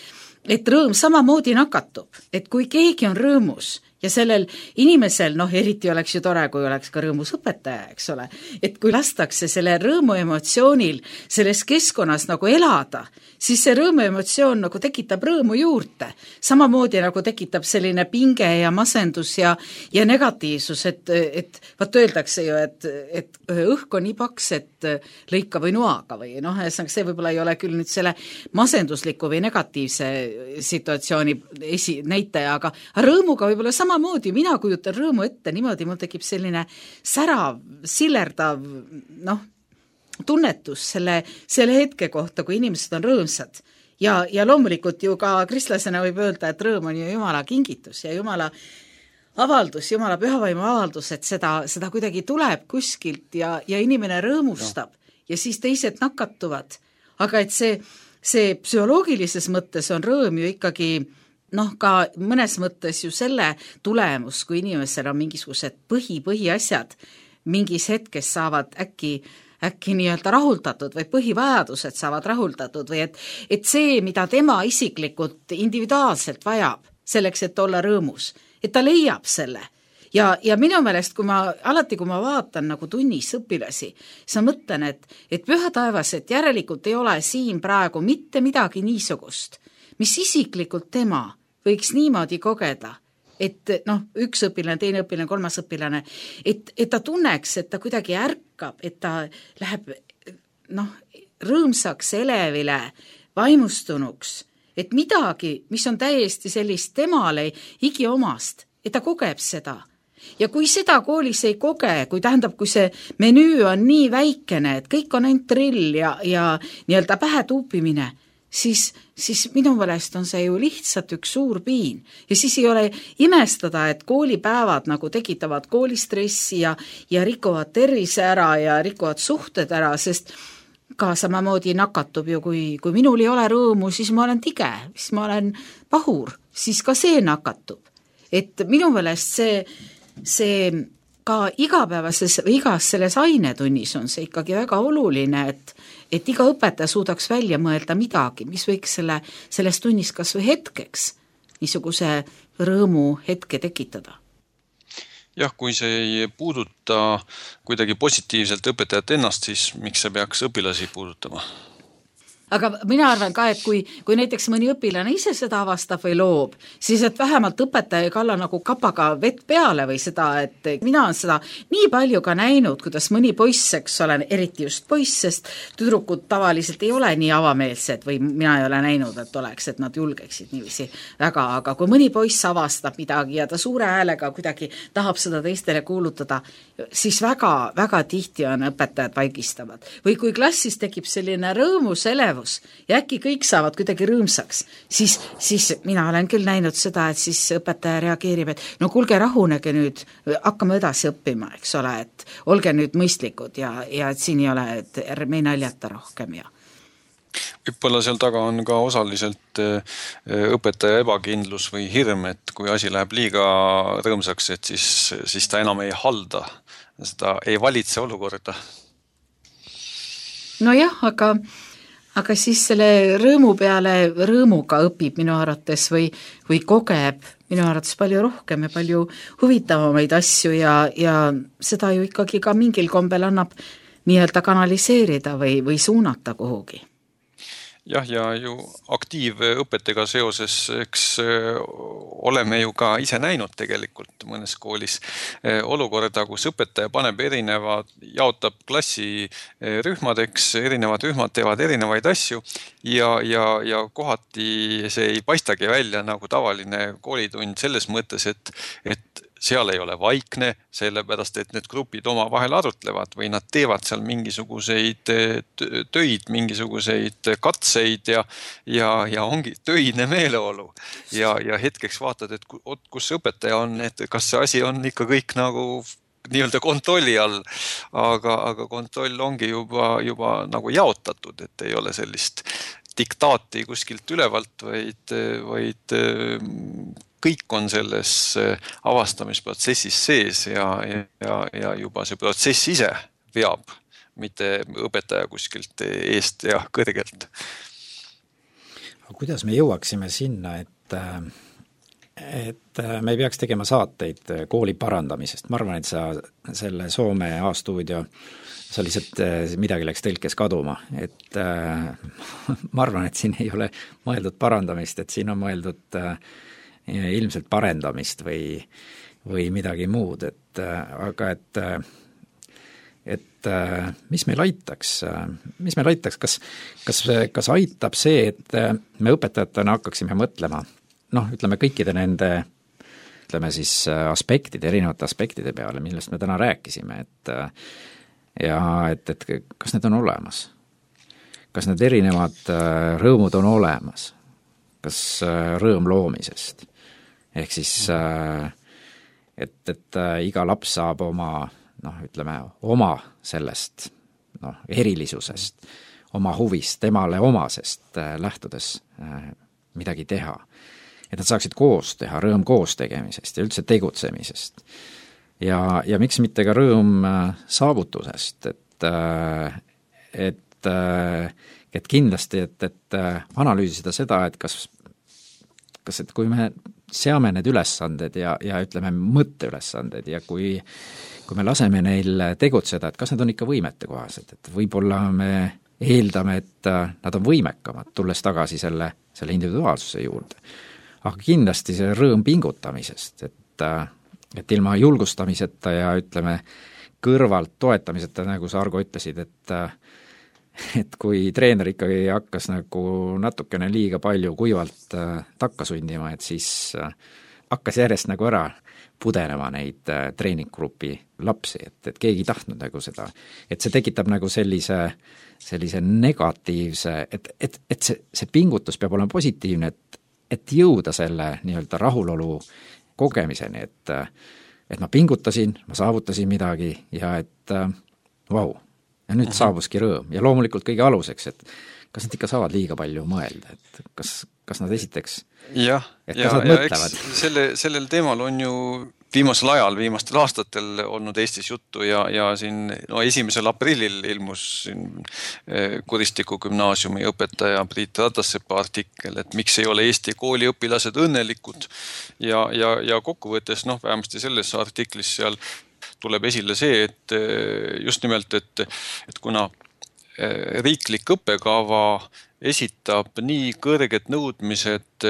et rõõm samamoodi nakatub, et kui keegi on rõõmus ja sellel inimesel, noh, eriti oleks ju tore, kui oleks ka rõõmus õpetaja, eks ole, et kui lastakse selle rõõmu emotsioonil selles keskkonnas nagu elada, siis see rõõmu emotsioon nagu tekitab rõõmu juurde. Samamoodi nagu tekitab selline pinge ja masendus ja, ja negatiivsus, et, et vaat öeldakse ju, et, et õhk on nii paks, et lõika või noaga või noh, see võib-olla ei ole küll nüüd selle masendusliku või negatiivse situatsiooni esi, näitaja, aga rõõmuga võib-olla samamoodi, mina kujutan rõõmu ette niimoodi, mul tekib selline särav, sillerdav, noh, tunnetus selle, selle hetke kohta, kui inimesed on rõõmsad. Ja, ja loomulikult ju ka kristlasena võib öelda, et rõõm on ju Jumala kingitus ja Jumala avaldus, Jumala pühavaimu avaldus, et seda, seda kuidagi tuleb kuskilt ja, ja inimene rõõmustab no. Ja siis teised nakatuvad. Aga et see, see psühholoogilises mõttes on rõõm ju ikkagi noh, ka mõnes mõttes ju selle tulemus, kui inimesel on mingisugused põhi, põhiasjad mingis hetkes saavad äkki äkki nii-öelda rahuldatud või põhivajadused saavad rahuldatud või et, et see, mida tema isiklikult individuaalselt vajab selleks, et olla rõõmus, et ta leiab selle. Ja, ja minu meelest, kui ma, alati kui ma vaatan nagu tunnis õpilasi, siis ma mõtlen, et, et püha taevas, et järelikult ei ole siin praegu mitte midagi niisugust, mis isiklikult tema võiks niimoodi kogeda, et noh, üks õpilane, teine õpilane, kolmas õpilane, et, et ta tunneks, et ta kuidagi ärkab, et ta läheb noh, rõõmsaks, elevile, vaimustunuks, et midagi, mis on täiesti sellist temale igiomast, et ta kogeb seda. ja kui seda koolis ei koge, kui tähendab, kui see menüü on nii väikene, et kõik on ainult drill ja, ja nii-öelda pähe tuupimine, siis, siis minu meelest on see ju lihtsalt üks suur piin. Ja siis ei ole imestada, et koolipäevad nagu tekitavad koolistressi ja, ja rikuvad tervise ära ja rikuvad suhted ära, sest ka samamoodi nakatub ju, kui, kui minul ei ole rõõmu, siis ma olen tige, siis ma olen pahur, siis ka see nakatub. Et minu meelest see, see ka igapäevases või igas selles ainetunnis on see ikkagi väga oluline, et et iga õpetaja suudaks välja mõelda midagi, mis võiks selle, selles tunnis kas või hetkeks niisuguse rõõmu hetke tekitada. Jah, kui see ei puuduta kuidagi positiivselt õpetajat ennast, siis miks see peaks õpilasi puudutama? Aga mina arvan ka, et kui, kui näiteks mõni õpilane ise seda avastab või loob, siis et vähemalt õpetaja ei kalla nagu kapaga vett peale või seda, et mina olen seda nii palju ka näinud, kuidas mõni poiss, eks olen, eriti just poiss, sest tüdrukud tavaliselt ei ole nii avameelsed või mina ei ole näinud, et oleks, et nad julgeksid niiviisi väga, aga kui mõni poiss avastab midagi ja ta suure häälega kuidagi tahab seda teistele kuulutada, siis väga, väga tihti on õpetajad vaigistavad. Või kui klassis tekib selline rõõmus elevus ja äkki kõik saavad kuidagi rõõmsaks, siis, siis mina olen küll näinud seda, et siis õpetaja reageerib, et no kuulge, rahunege nüüd, hakkame edasi õppima, eks ole, et olge nüüd mõistlikud ja, ja et siin ei ole, et me ei naljata rohkem ja võib-olla seal taga on ka osaliselt õpetaja ebakindlus või hirm, et kui asi läheb liiga rõõmsaks, et siis, siis ta enam ei halda, seda ei valitse olukorda. No jah, aga aga siis selle rõõmu peale rõõmuga õpib minu arvates või, või kogeb minu arvates palju rohkem ja palju huvitavamaid asju ja, ja seda ju ikkagi ka mingil kombel annab nii-öelda kanaliseerida või, või suunata kuhugi. Jah, ja ju aktiivõpetega seoses, eks oleme ju ka ise näinud tegelikult mõnes koolis olukorda, kus õpetaja paneb erinevad, jaotab klassi rühmadeks, erinevad rühmad teevad erinevaid asju ja, ja, ja kohati see ei paistagi välja nagu tavaline koolitund selles mõttes, et, et seal ei ole vaikne, sellepärast, et need grupid oma vahel arutlevad või nad teevad seal mingisuguseid töid, mingisuguseid katseid ja, ja, ja ongi töine meeleolu. Ja, ja hetkeks vaatad, et kus õpetaja on, et kas see asi on ikka kõik nagu nii-öelda kontrolli all, aga, aga kontroll ongi juba, juba nagu jaotatud, et ei ole sellist diktaati kuskilt ülevalt, vaid, vaid kõik on selles avastamisprotsessis sees ja, ja, ja juba see protsess ise veab, mitte õpetaja kuskilt eest ja kõrgelt. Kuidas me jõuaksime sinna, et, et me ei peaks tegema saateid kooli parandamisest? Ma arvan, et sa selle Soome A-stuudio sa lihtsalt midagi läks tõlkes kaduma, et äh, ma arvan, et siin ei ole mõeldud parandamist, et siin on mõeldud äh, ilmselt parendamist või, või midagi muud, et aga et, et mis meil aitaks, mis meil aitaks, kas, kas, kas aitab see, et me õpetajatena hakkaksime mõtlema, noh, ütleme kõikide nende, ütleme siis aspektide, erinevate aspektide peale, millest me täna rääkisime, et ja et, et kas need on olemas, kas need erinevad rõõmud on olemas, kas rõõm loomisest, ehk siis, et, et iga laps saab oma, noh, ütleme, oma sellest, noh, erilisusest, oma huvist, temale omasest lähtudes midagi teha. Et nad saaksid koos teha, rõõm koos tegemisest ja üldse tegutsemisest. Ja, ja miks mitte ka rõõm saavutusest, et, et, et kindlasti, et, et analüüsida seda, et kas kas et kui me seame need ülesanded ja, ja ütleme mõtteülesanded ja kui, kui me laseme neil tegutseda, et kas need on ikka võimete kohased, et võib-olla me eeldame, et nad on võimekamad, tulles tagasi selle, selle individuaalsuse juurde. Aga kindlasti see rõõm pingutamisest, et, et ilma julgustamiseta ja ütleme kõrvalt toetamiseta, nagu sa, Argo, ütlesid, et et kui treener ikkagi hakkas nagu natukene liiga palju kuivalt äh, takka sundima, et siis äh, hakkas järjest nagu ära pudenema neid treeninggrupi lapsi, et, et keegi ei tahtnud nagu seda, et see tekitab nagu sellise, sellise negatiivse, et, et, et see, see pingutus peab olema positiivne, et, et jõuda selle nii-öelda rahulolu kogemiseni, et, et ma pingutasin, ma saavutasin midagi ja et vau, wow, ja nüüd saabuski rõõm ja loomulikult kõige aluseks, et kas nad ikka saavad liiga palju mõelda, et kas, kas nad esiteks, jah, et ja, kas nad ja mõtlevad? Selle, sellel teemal on ju viimasel ajal, viimastel aastatel olnud Eestis juttu ja, ja siin no, esimesel aprillil ilmus siin Kuristiku gümnaasiumi õpetaja Priit Ratasepa artikkel, et miks ei ole Eesti kooliõpilased õnnelikud ja, ja, ja kokkuvõttes, noh, vähemasti selles artiklis seal tuleb esile see, et just nimelt, et, et kuna riiklik õppekava esitab nii kõrged nõudmised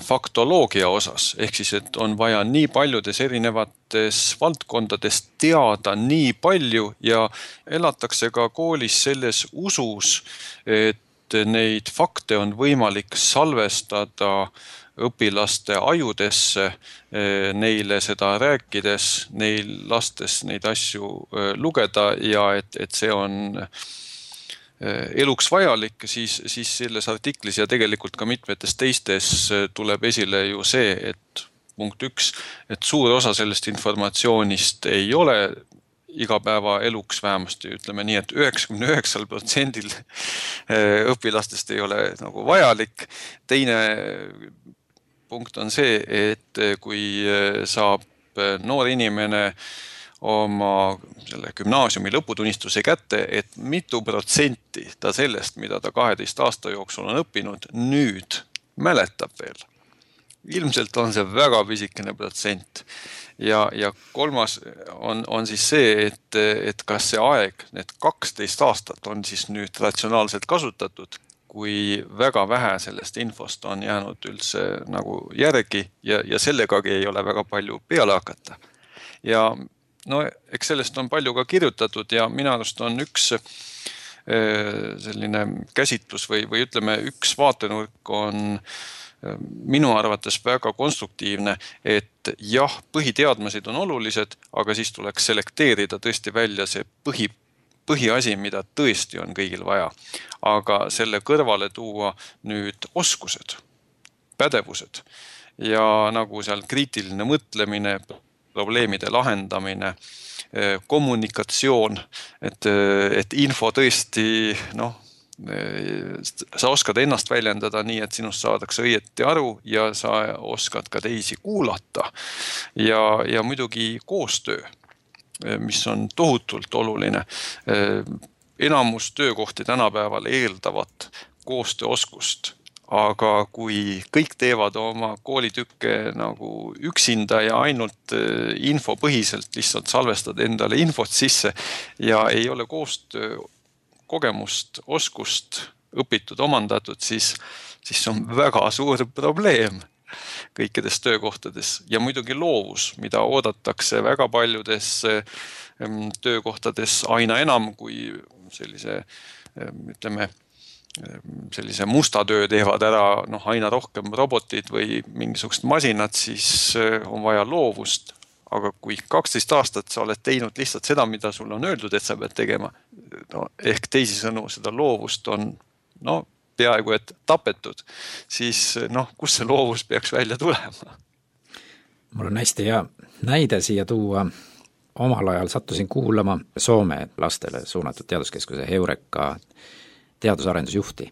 faktoloogia osas, ehk siis, et on vaja nii paljudes erinevates valdkondades teada nii palju ja elatakse ka koolis selles usus, et neid fakte on võimalik salvestada õpilaste ajudesse, neile seda rääkides, neil lastes neid asju lugeda ja et, et see on eluks vajalik, siis, siis selles artiklis ja tegelikult ka mitmetes teistes tuleb esile ju see, et punkt üks, et suur osa sellest informatsioonist ei ole igapäeva eluks vähemasti, ütleme nii, et üheksakümne üheksal protsendil õpilastest ei ole nagu vajalik. Teine punkt on see, et kui saab noor inimene oma selle gümnaasiumi lõputunnistuse kätte, et mitu protsenti ta sellest, mida ta kaheteist aasta jooksul on õppinud, nüüd mäletab veel. Ilmselt on see väga pisikene protsent. Ja, ja kolmas on, on siis see, et, et kas see aeg, need kaksteist aastat on siis nüüd ratsionaalselt kasutatud, kui väga vähe sellest infost on jäänud üldse nagu järgi ja, ja sellegagi ei ole väga palju peale hakata. Ja no eks sellest on palju ka kirjutatud ja minu arust on üks selline käsitlus või, või ütleme, üks vaatenurk on minu arvates väga konstruktiivne, et jah, põhiteadmised on olulised, aga siis tuleks selekteerida tõesti välja see põhi, põhiasi, mida tõesti on kõigil vaja. Aga selle kõrvale tuua nüüd oskused, pädevused ja nagu seal kriitiline mõtlemine, probleemide lahendamine, kommunikatsioon, et, et info tõesti, noh, sa oskad ennast väljendada nii, et sinust saadakse õieti aru ja sa oskad ka teisi kuulata. Ja, ja muidugi koostöö, mis on tohutult oluline. Enamus töökohti tänapäeval eeldavad koostööoskust. Aga kui kõik teevad oma koolitükke nagu üksinda ja ainult infopõhiselt lihtsalt salvestad endale infot sisse ja ei ole koostöö kogemust, oskust õpitud, omandatud, siis, siis on väga suur probleem kõikides töökohtades. Ja muidugi loovus, mida oodatakse väga paljudes töökohtades aina enam kui sellise, ütleme, sellise musta töö teevad ära noh, aina rohkem robotid või mingisugust masinat, siis on vaja loovust. Aga kui kaksteist aastat sa oled teinud lihtsalt seda, mida sul on öeldud, et sa pead tegema, no, ehk teisisõnu seda loovust on no, peaaegu et tapetud, siis noh, kus see loovus peaks välja tulema? Mul on hästi hea näide siia tuua. Omal ajal sattusin kuulama Soome lastele suunatud teaduskeskuse Heureka teadusarendusjuhti.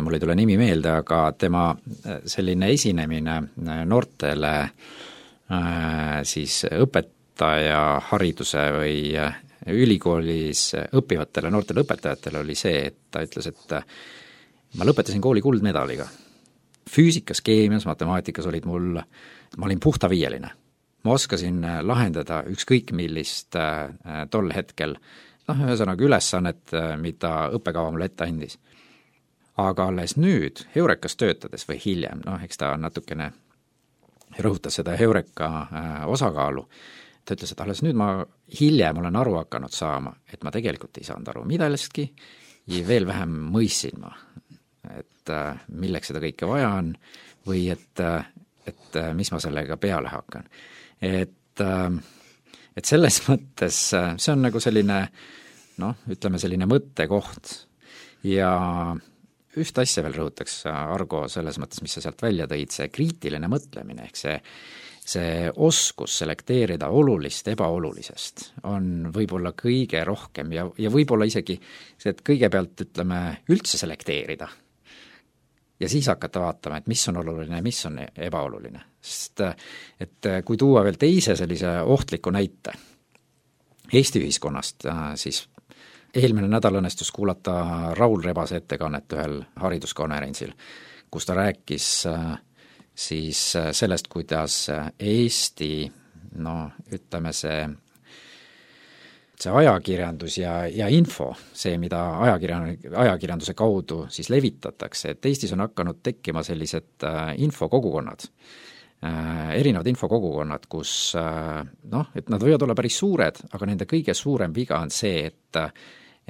Mul ei tule nimi meelde, aga tema selline esinemine noortele siis õpetaja hariduse või ülikoolis õppivatele noortele õpetajatele oli see, et ta ütles, et ma lõpetasin kooli kuldmedaliga. Füüsikas, keemias, matemaatikas olid mul, ma olin puhta viieline. Ma oskasin lahendada ükskõik millist tol hetkel noh, ühesõnaga ülesannet, mida õppekava mulle ette andis. Aga alles nüüd, Heurekas töötades või hiljem, noh, eks ta natukene rõhutas seda Heureka osakaalu, ta ütles, et alles nüüd ma hiljem olen aru hakanud saama, et ma tegelikult ei saanud aru midalestki ja veel vähem mõistsin ma, et milleks seda kõike vaja on või et, et mis ma sellega peale hakkan. et et selles mõttes see on nagu selline noh, ütleme selline mõttekoht ja ühte asja veel rõhutaks, Argo, selles mõttes, mis sa sealt välja tõid, see kriitiline mõtlemine, ehk see see oskus selekteerida olulist ebaolulisest on võib-olla kõige rohkem ja, ja võib-olla isegi see, et kõigepealt ütleme üldse selekteerida ja siis hakata vaatama, et mis on oluline ja mis on ebaoluline. Sest et kui tuua veel teise sellise ohtliku näite Eesti ühiskonnast, siis eelmine nädal õnnestus kuulata Raul Rebase ettekannet ühel hariduskonverentsil, kus ta rääkis siis sellest, kuidas Eesti, no ütleme see, see ajakirjandus ja, ja info, see, mida ajakirjan-, ajakirjanduse kaudu siis levitatakse, et Eestis on hakanud tekkima sellised infokogukonnad, erinevad infokogukonnad, kus noh, et nad võivad olla päris suured, aga nende kõige suurem viga on see, et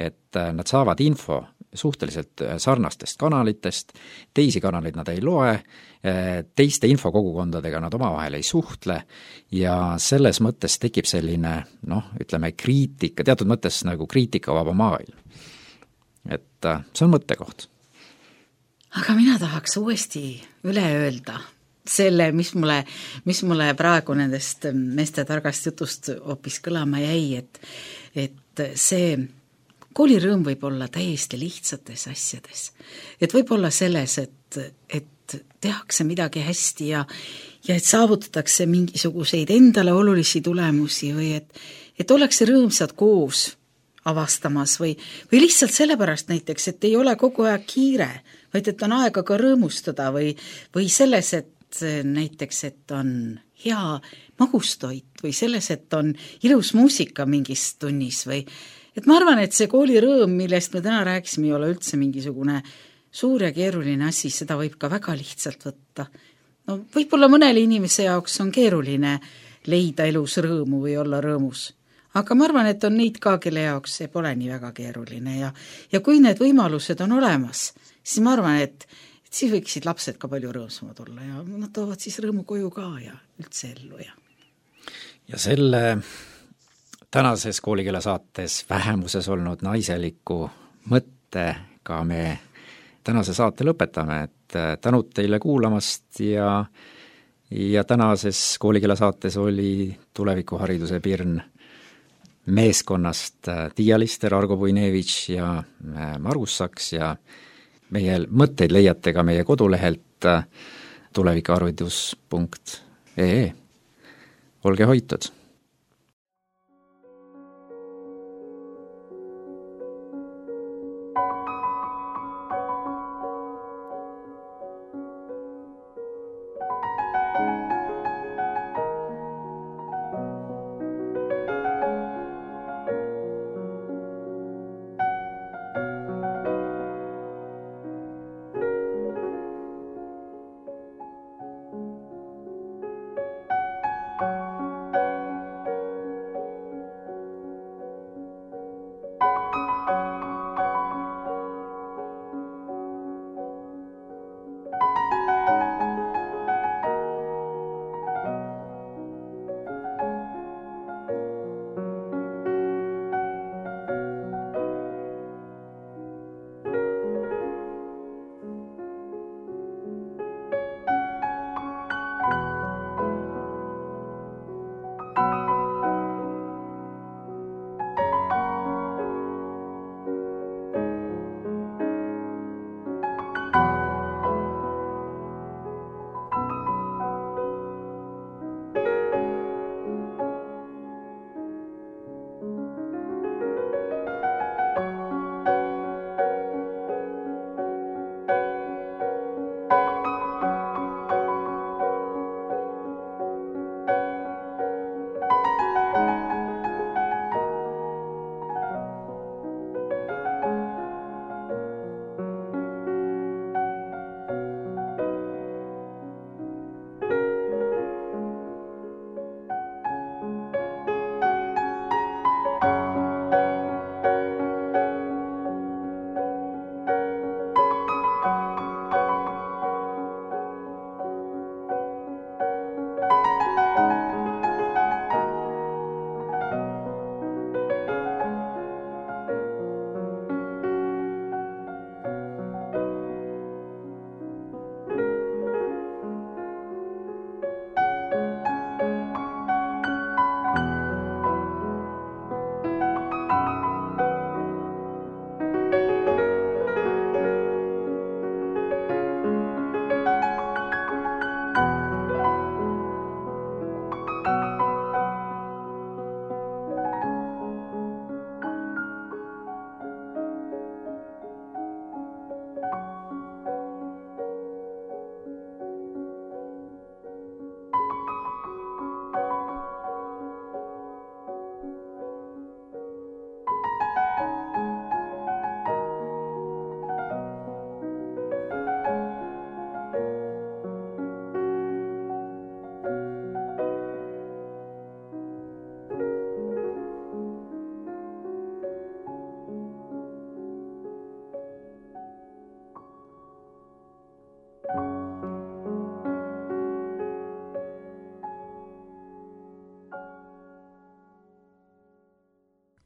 et nad saavad info suhteliselt sarnastest kanalitest, teisi kanaleid nad ei loe, teiste infokogukondadega nad omavahel ei suhtle ja selles mõttes tekib selline noh, ütleme kriitika, teatud mõttes nagu kriitikavaba maailm. Et see on mõttekoht. Aga mina tahaks uuesti üle öelda selle, mis mulle, mis mulle praegu nendest meeste targast jutust hoopis kõlama jäi, et, et see koolirõõm võib olla täiesti lihtsates asjades. Et võib olla selles, et, et tehakse midagi hästi ja, ja et saavutatakse mingisuguseid endale olulisi tulemusi või et, et ollakse rõõmsad koos avastamas või, või lihtsalt sellepärast näiteks, et ei ole kogu aeg kiire, vaid et on aega ka rõõmustada või, või selles, et näiteks, et on hea magustoit või selles, et on ilus muusika mingis tunnis või et ma arvan, et see koolirõõm, millest me täna rääkisime, ei ole üldse mingisugune suur ja keeruline asi, seda võib ka väga lihtsalt võtta. No võib-olla mõnele inimese jaoks on keeruline leida elus rõõmu või olla rõõmus. Aga ma arvan, et on neid ka, kelle jaoks see pole nii väga keeruline ja, ja kui need võimalused on olemas, siis ma arvan, et, et siis võiksid lapsed ka palju rõõmsamad olla ja nad toovad siis rõõmu koju ka ja üldse ellu. Ja, ja selle tänases koolikeele saates vähemuses olnud naiseliku mõttega me tänase saate lõpetame, et tänud teile kuulamast ja, ja tänases koolikeele saates oli tulevikuhariduse pirn meeskonnast Tiia Lister, Argo Puinevitš ja Margus Saks ja meie mõtteid leiate ka meie kodulehelt tulevikuharidus punkt ee. Olge hoitud!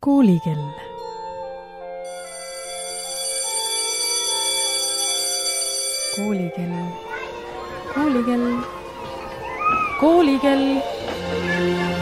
Koolikell. Koolikell. Koolikell. Koolikell.